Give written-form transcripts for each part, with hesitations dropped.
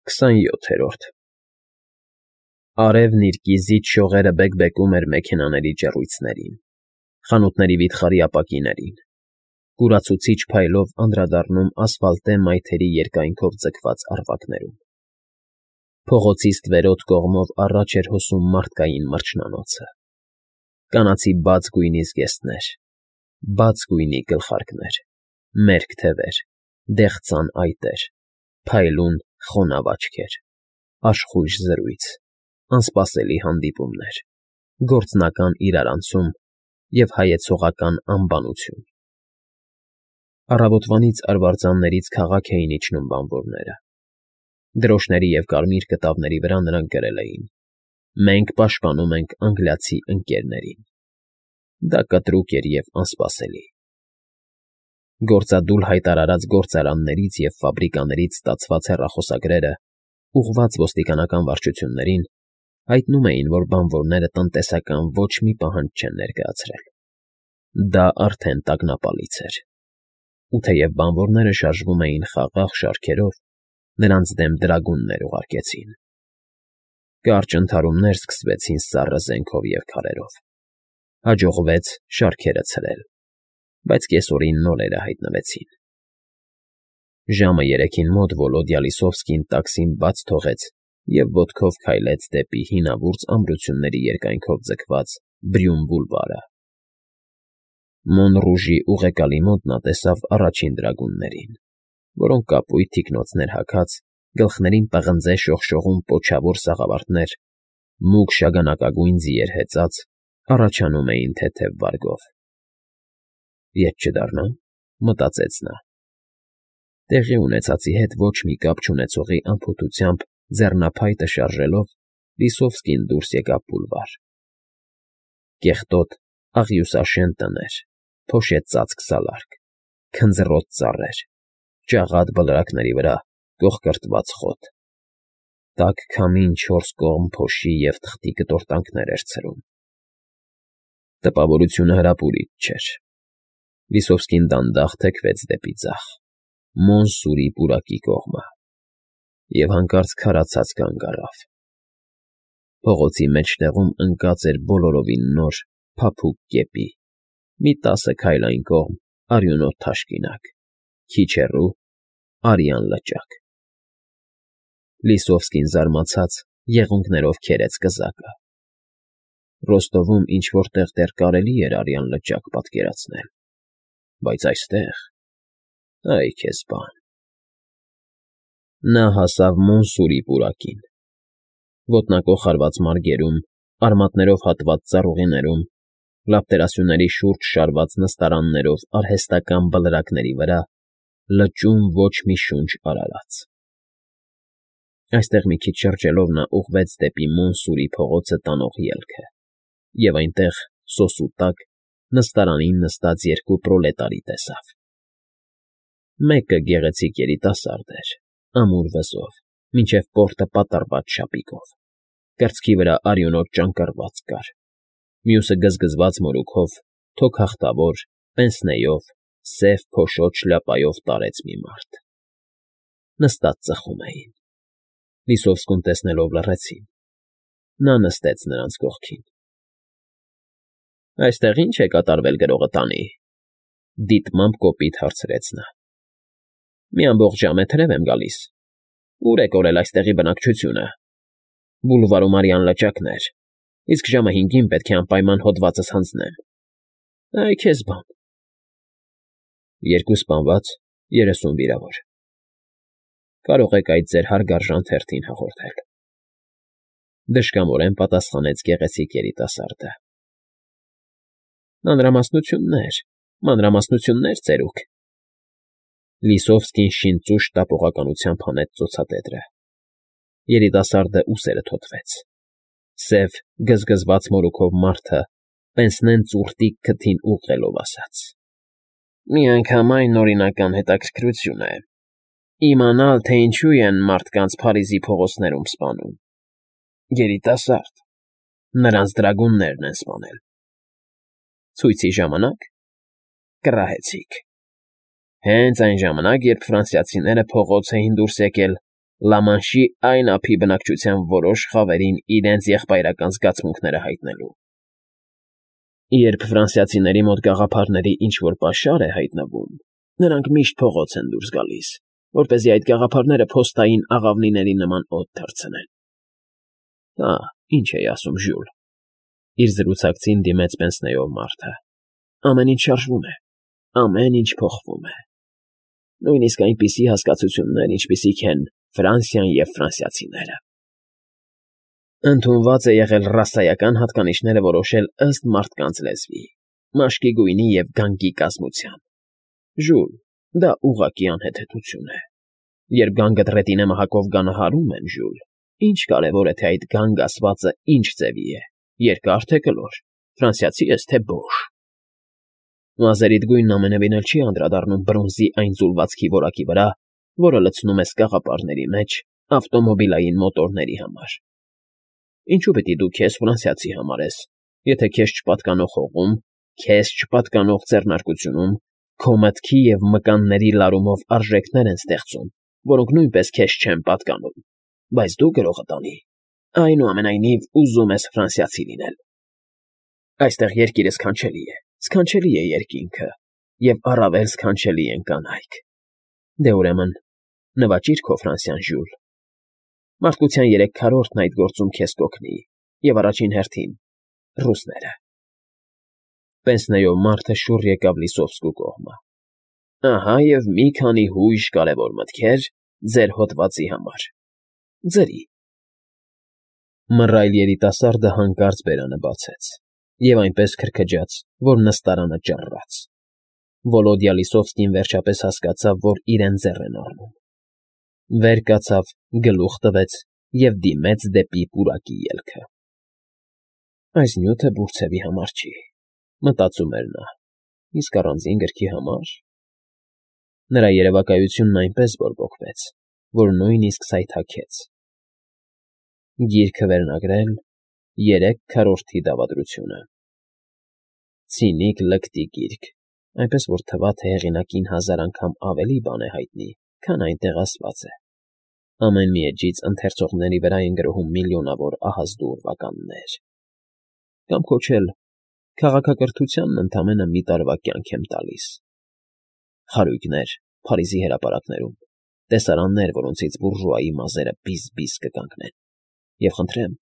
27-րդ Արևն իր կիզիչ շողերը բեկբեկում էր մեքենաների ջեռույցներին, խանութների վիթխարի ապակիներին, կուրացուցիչ փայլով անդրադառնում ասֆալտե մայթերի երկայնքով ձգված առվակներում։ Փողոցի ստվերոտ կողմով առաջ էր հոսում մարդկային մրջնանոցը, կանացի բաց գույնի զգեստներ, բաց գույնի գլխարկներ, մերկ թևեր, դեղցան այտեր, փայլուն խոնավ աչքեր, աշխույժ զրույց, անսպասելի հանդիպումներ, գործնական իրարանցում և հայեցողական անբանություն։ Առավոտվանից արվարձաններից քաղաք էին իջնում բանվորները։ Դրոշների և կարմիր կտավների վրա նրանք գրել էին. «Մենք պաշտպանում ենք անգլիացի ընկերներին»։ Դա կտրուկ էր և անսպասելի։ Գործադուլ հայտարարած գործարաններից և ֆաբրիկաներից ստացված հեռախոսագրերը, ուղղված ոստիկանական վարչություններին, հայտնում էին, որ բանվորները տնտեսական ոչ մի պահանջ չեն ներկայացրել։ Դա արդեն տագնապալից էր։ Ու թեև բանվորները շարժվում էին խաղաղ շարքերով, նրանց դեմ դրագուններ ուղարկեցին։ Կարճ ընդհարումներ սկսվեցին սառը զենքով և քարերով։ Հաջողվեց շարքերը ցրել, բայց կեսօրին նորերը հայտնվեցին։ Ժամը 3-ին մոտ Վոլոդյա Լիսովսկին տաքսին բաց թողեց և ոտքով քայլեց դեպի հինավուրց ամրությունների երկայնքով ձգված Բրյուն բուլվարը։ Մոնռուժի ուղեկալի մոտ նա տեսավ առաջին դրագուններին, որոնք կապույտ թիկնոցներ հագած, գլխներին պղնձե շողշողուն պոչավոր սաղավարտներ, մուգ շագանակագույն ձիեր հեծած, առաջանում էին թեթև վարգով։ «Ետ չդառնա՞մ,» մտածեց նա։ Տեղի ունեցածի հետ ոչ մի կապ չունեցողի անփութությամբ ձեռնափայտը շարժելով, Լիսովսկին դուրս եկավ բուլվար։ Կեղտոտ, աղյուսաշեն տներ, փոշեցածք սալարք, քնձռոտ ծառեր, ճաղատ բլրակների վրա կոխկրտված խոտ։ Տաք քամին չորս կողմ փոշի և թղթի կտորտանքներ էր ցրում։ Տպավորությունը հրապուրիչ չէր։ Լիսովսկին դանդաղ թեքվեց դեպի ձախ, Մոնսուրի պուրակի կողմը, և հանկարծ քարացած կանգ առավ։ Փողոցի մեջտեղում ընկած էր բոլորովին նոր, փափուկ կեպի, մի 10 քայլ այն կողմ արյունոտ թաշկինակ, քիչ հեռու արյան լճակ։ Լիսովսկին զարմացած եղունգներով քերեց կզակը։ Ռոստովում ինչ֊որ տեղ դեռ կարելի էր արյան լճակ պատկերացնել, բայց այստեղ… Այ քեզ բան… Նա հասավ Մոնսուրի պուրակին։ Ոտնակոխ արված մարգերում, արմատներով հատված ծառուղիներում, լապտերասյուների շուրջ շարված նստարաններով արհեստական բլրակների վրա լճում ոչ մի շունչ արարած։ Այստեղ մի քիչ շրջելով նա ուղղվեց դեպի Մոնսուրի փողոցը տանող ելքը, և այնտեղ, սոսու տակ, նստարանին նստած երկու պրոլետարի տեսավ։ Մեկը գեղեցիկ երիտասարդ էր, ամուր վզով, մինչև պորտը պատառված շապիկով, կրծքի վրա արյունոտ ճանկռված կար, մյուսը գզգզված մորուքով, թոքահխտավոր, պենսնեով, սև փոշոտ շլյապայով տարեց մի մարդ։ Նստած ծխում էին։ Լիսովսկուն տեսնելով լռեցին։ Նա նստեց նրանց կողքին։ ֊ Այստեղ ի՞նչ է կատարվել գրողը տանի,֊ դիտմամբ կոպիտ հարցրեց նա։ ֊ Մի ամբողջ ժամ է թրև եմ գալիս։ Ո՞ւր է կորել այստեղի բնակչությունը։ Բուլվարում արյան լճակներ, իսկ ժամը 5-ին պետք է անպայման հոդվածս հանձնեմ։ Այ քեզ բան… 2 սպանված, 30 վիրավոր։ Կարող եք այդ ձեր հարգարժան թերթին հաղորդել,֊ դժկամորեն պատասխանեց գեղեցիկ երիտասարդը։ ֊ Մանրամասնություններ, ծերուկ… Լիսովսկին շինծուշ տապողականությամբ հանեց ծոցատետրը։ Երիտասարդը ուսերը թոթվեց։ Սև, գզգզված մորուքով մարդը պենսնեն ծուռտիկ քթին ուղղելով ասաց. «Միանգամայն օրինական հետաքրքրություն է… Իմանալ, թե ինչու են մարդկանց Փարիզի փողոցներում սպանում… Երիտասարդ… Նրանց դրագուններն են սպանել… Ցույցի ժամանակ… Կռահեցիք… Հենց այն ժամանակ, երբ ֆրանսիացիները փողոց էին դուրս եկել Լամանշի այն ափի բնակչության որոշ խավերին իրենց եղբայրական զգացմունքները հայտնելու։ Երբ ֆրանսիացիների մոտ գաղափարների ինչ-որ պաշար է հայտնվում, նրանք միշտ փողոց են դուրս գալիս, որպեսզի այդ գաղափարները փոստային աղավնիների նման օդ թռցնեն։ Հա, ինչ էի ասում, Ժյուլ, իր զրուցակցին դիմեց Պենսնեով մարդը։ Ամեն ինչ շարժվում է, ամեն ինչ փոխվում է։ Նույնիսկ այնպիսի հասկացություններ, ինչպիսիք են Ֆրանսիան և ֆրանսիացիները։ Ընդունված է եղել ռասայական հատկանիշները որոշել ըստ մարդկանց լեզվի, մաշկի գույնի և գանգի կազմության։ Ժուլ, դա ուղղակի անհեթեթություն է։ Երբ գանգդ ռետինե մահակով գանահարում են, Ժուլ, ինչ կարևոր է, թե այդ գանգ ասվածը ինչ ձևի է, երկար թե կլոր, ֆրանսիացի ես թե բոշ։ Մազերիդ գույնն ամենևին էլ չի անդրադառնում բրոնզի այն ձուլվածքի որակի վրա, որը լցնում ես կաղապարների մեջ ավտոմոբիլային մոտորների համար։ Ինչու պետք է դու քեզ ֆրանսիացի համարես, եթե քեզ չպատկանող հողում, քեզ չպատկանող ձեռնարկությունում, քո մտքի և մկանների լարումով արժեքներ են ստեղծում, որոնք նույնպես քեզ չեն պատկանում, բայց դու գրողը տանի, այնուամենայնիվ ուզում ես ֆրանսիացի լինել։ Այստեղ երկիրը սքանչելի է երկինքը, և առավել սքանչելի են կանայք։ Դե ուրեմն, նվաճիր քո Ֆրանսիան, Ժյուլ։ Մարդկության 3/4-ն այդ գործում քեզ կօգնի, և առաջին հերթին ռուսները։ Պենսնեով մարդը շուռ եկավ Լիսովսկու կողմը։ Ահա և մի քանի հույժ կարևոր մտքեր ձեր հոդվածի համար։ Ձրի։ Մռայլ երիտասարդը հանկարծ բերանը բացեց, և այնպես քրքջաց, որ նստարանը ճռռաց։ Վոլոդյա Լիսովսկին վերջապես հասկացավ, որ իրեն ձեռ են առնում։ Վեր կացավ, գլուխ տվեց և դիմեց դեպի պուրակի ելքը։ Այս նյութը Բուրցևի համար չի, մտածում էր նա, իսկ առանձին գրքի համար… Նրա երևակայությունն այնպես բորբոքվեց, որ նույնիսկ սայթաքեց։ Գիրքը վերնագրել 3/4 դավադրությունը։ Ցինիկ լկտի գիրք, այնպես որ թվա, թե հեղինակին 1000 անգամ ավելի բան է հայտնի, քան այնտեղ ասված է։ Ամեն մի էջից ընթերցողների վրա են գրոհում միլիոնավոր ահազդու ուրվականներ։ Կամ քոչել քաղաքակրթությանն ընդամենը մի տարվա կյանք եմ տալիս։ Խարույկներ Փարիզի հրապարակներում, տեսարաններ, որոնցից բուրժուայի մազերը բիզ-բիզ կկանգնեն, և խնդրեմ,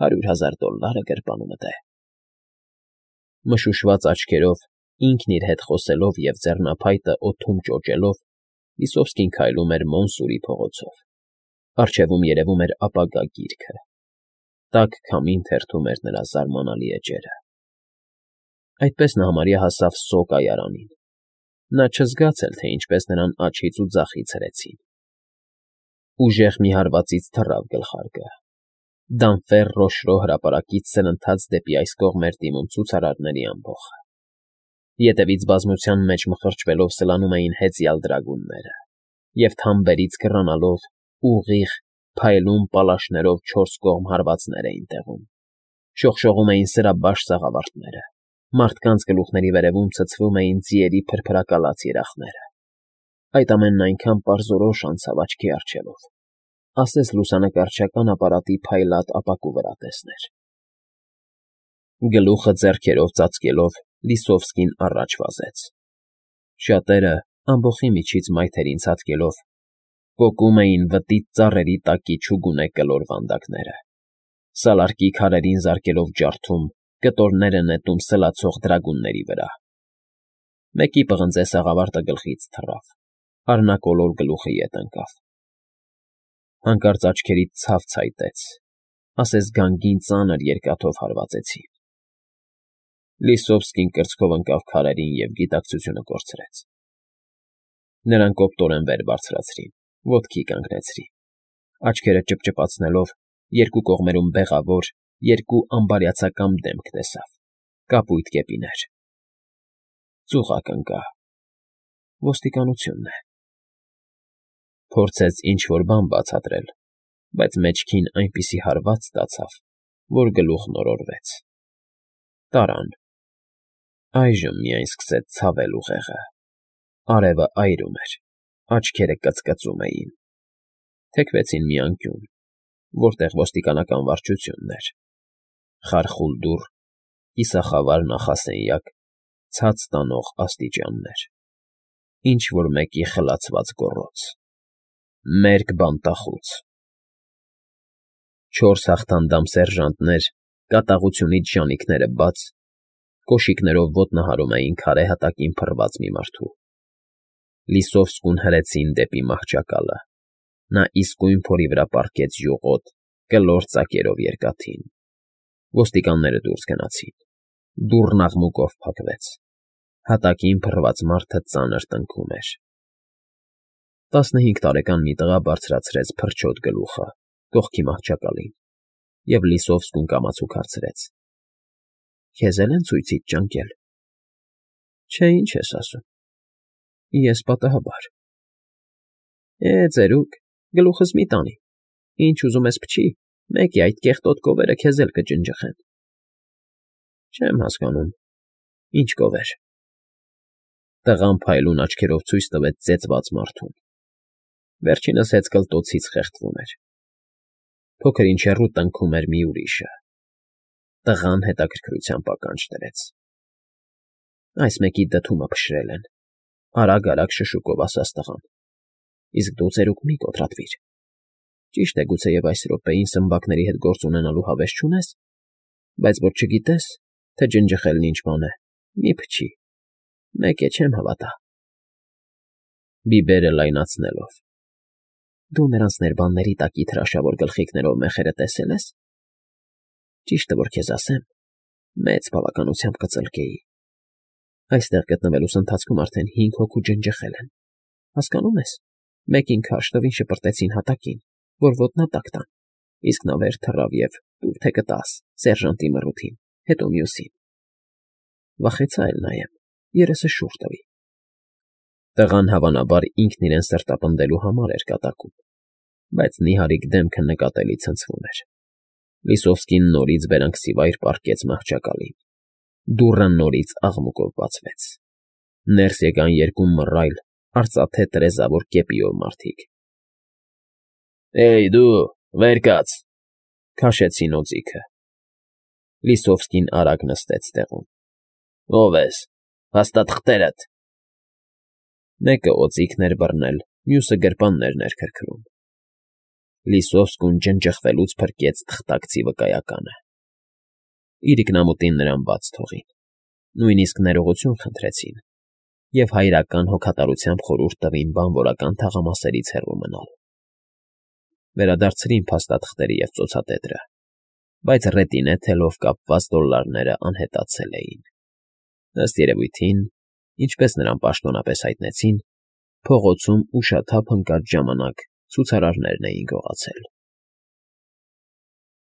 $100,000 գրպանումդ է։ Մշուշված աչքերով, ինքն իր հետ խոսելով և ձեռնափայտը օդում ճոճելով, Լիսովսկին քայլում էր Մոնսուրի փողոցով։ Առջևում երևում էր ապագա գիրքը։ Տաք քամին թերթում էր նրա զարմանալի էջերը։ Այդպես նա համարյա հասավ Սո կայարանին։ Նա չզգաց էլ, թե ինչպես նրան աջից ու ձախից հրեցին։ Ուժեղ մի հարվածից թռավ գլխարկը։ Դանֆեր Ռոշրո հրապարակից սրընթաց դեպի այս կողմ էր դիմում ցուցարարների ամբոխը։ Ետևից բազմության մեջ մխրճվելով սլանում էին հեծյալ դրագունները, և թամբերից կռանալով ուղիղ, փայլուն պալաշներով 4 կողմ հարվածներ էին տեղում։ Շողշողում էին սրաբաշ սաղավարտները, մարդկանց գլուխների վերևում ցցվում էին ձիերի փրփրակալած երախները։ Այդ ամենն այնքան պարզորոշ անցավ աչքի առջևով, ասես լուսանկարչական ապարատի փայլատ ապակու վրա տեսներ։ Գլուխը ձեռքերով ծածկելով Լիսովսկին առաջ վազեց։ Շատերը, ամբոխի միջից մայթերին ցատկելով, պոկում էին վտիտ ծառերի տակի չուգունե կլոր վանդակները, սալարկի քարերին զարկելով ջարդում, կտորները նետում սլացող դրագունների վրա։ Մեկի պղնձե սաղավարտը գլխից թռավ, առնակոլոր գլուխը ետ ընկավ։ Հանկարծ աչքերից ցավ ցայտեց, ասես գանգին ծանր երկաթով հարվածեցին։ Լիսովսկին կրծքով ընկավ քարերին և գիտակցությունը կորցրեց։ Նրան կոպտորեն վեր բարձրացրին, ոտքի կանգնեցրին, աչքերը ճպճպացնելով, երկու կողմերում բեղավոր, երկու ամբարյացակամ դեմք տեսավ, կապույտ կեպիներ։ Ծուղակ ընկա… Ոստիկանությունն է։ Փորձեց ինչ֊որ բան բացատրել, բայց մեջքին այնպիսի հարված ստացավ, որ գլուխն օրորվեց։ Տարան։ Այժմ միայն սկսեց ցավել ուղեղը։ Արևը այրում էր, աչքերը կծկծում էին։ թեքվեցին մի անկյուն, որտեղ ոստիկանական վարչությունն էր. խարխուլ դուռ, կիսախավար նախասենյակ, ցած տանող աստիճաններ, ինչ֊որ մեկի խլացված գոռոց, մերկ բանտախուց։ 4 հաղթանդամ սերժանտներ, կատաղությունից ժանիքները բաց, կոշիկներով ոտնահարում էին քարե հատակին փռված մի մարդու։ Լիսովսկուն հրեցին դեպի մահճակալը։ Նա իսկույն փորի վրա պառկեց յուղոտ, կլոր ծակերով երկաթին։ Ոստիկանները դուրս գնացին։ Դուռն աղմուկով փակվեց։ Հատակին փռված մարդը ծանր տնքում էր։ 15 տարեկան մի տղա բարձրացրեց փրչոտ գլուխը կողքի մահճակալին և Լիսովսկուն կամացուկ հարցրեց. «Քեզ էլ են ցույցիդ ճանկել»։ «Չէ, ինչ ես ասում»։ «Ես պատահաբար»։ Ծերուկ, գլուխս մի տանի, ինչ ուզում ես փչի, մեկ է այդ կեղտոտ կովերը քեզ էլ կջնջխեն։ Չեմ հասկանում, ինչ կովեր։ Տղան փայլուն աչքերով ցույց տվեց ծեծված մարդուն։ Վերջինս հեծկլտոցից խեղդվում էր։ Փոքր-ինչ հեռու տնքում էր մի ուրիշը։ Տղան հետաքրքրությամբ ականջ դրեց։ Այս մեկի դդումը փշրել են, արագ շշուկով ասաց տղան։ Իսկ դու, ծերուկ, մի կոտրատվիր։ Ճիշտ է, գուցեև այս րոպեին սմբակների հետ գործ ունենալու հավես չունես, բայց որ չգիտես, թե ջնջխելն ինչ բան է, մի փչի, մեկ է, չեմ հավատա։ Բիբերը լայնացնելով։ Դու նրանց ներբանների տակից հրաշավոր գլխիկներով մեխերը տեսել ես։ Ճիշտը որ քեզ ասեմ, մեծ բավականությամբ կծլկեի։ Այստեղ գտնվելուս ընթացքում արդեն 5 հոգու ջնջխել են։ Հասկանում ես, մեկին քարշ տվին շպրտեցին հատակին, որ ոտնատակ տան, իսկ նա վեր թռավ և տուր թե կտաս սերժանտի մռութին, հետո մյուսին։ Վախեցա էլ նայեմ, երեսը շուռ տվի։ Տղան հավանաբար ինքն իրեն սրտապնդելու համար էր կատակում, բայց նիհարիկ դեմքը նկատելի ցնցվում էր։ Լիսովսկին նորից բերանքսիվայր պառկեց մահճակալին։ Դուռը նորից աղմուկով բացվեց։ Ներս եկան 2 մռայլ, արծաթե տրեզավոր կեպիով մարդիկ։ Դու, վեր կաց, քաշեցին օձիքը։ Լիսովսկին արագ նստեց տեղում։ Ո՞վ ես, հաստատ խտերդ։ Մեկը օձիքն էր բռնել, մյուսը գրպաններն էր քրքրում։ Լիսովսկուն ջնջխվելուց փրկեց թղթակցի վկայականը։ Իրիկնամուտին նրան բաց թողին, նույնիսկ ներողություն խնդրեցին և հայրական հոգատարությամբ խորհուրդ տվին բանվորական թաղամասերից հեռու մնալ։ Վերադարձրին փաստաթղթերը և ծոցատետրը, բայց ռետինե թելով կապված դոլարները անհետացել էին։ Ըստ երևույթին, ինչպես նրան պաշտոնապես հայտնեցին, փողոցում ուշաթափ ընկած ժամանակ ցուցարարներն էին գողացել։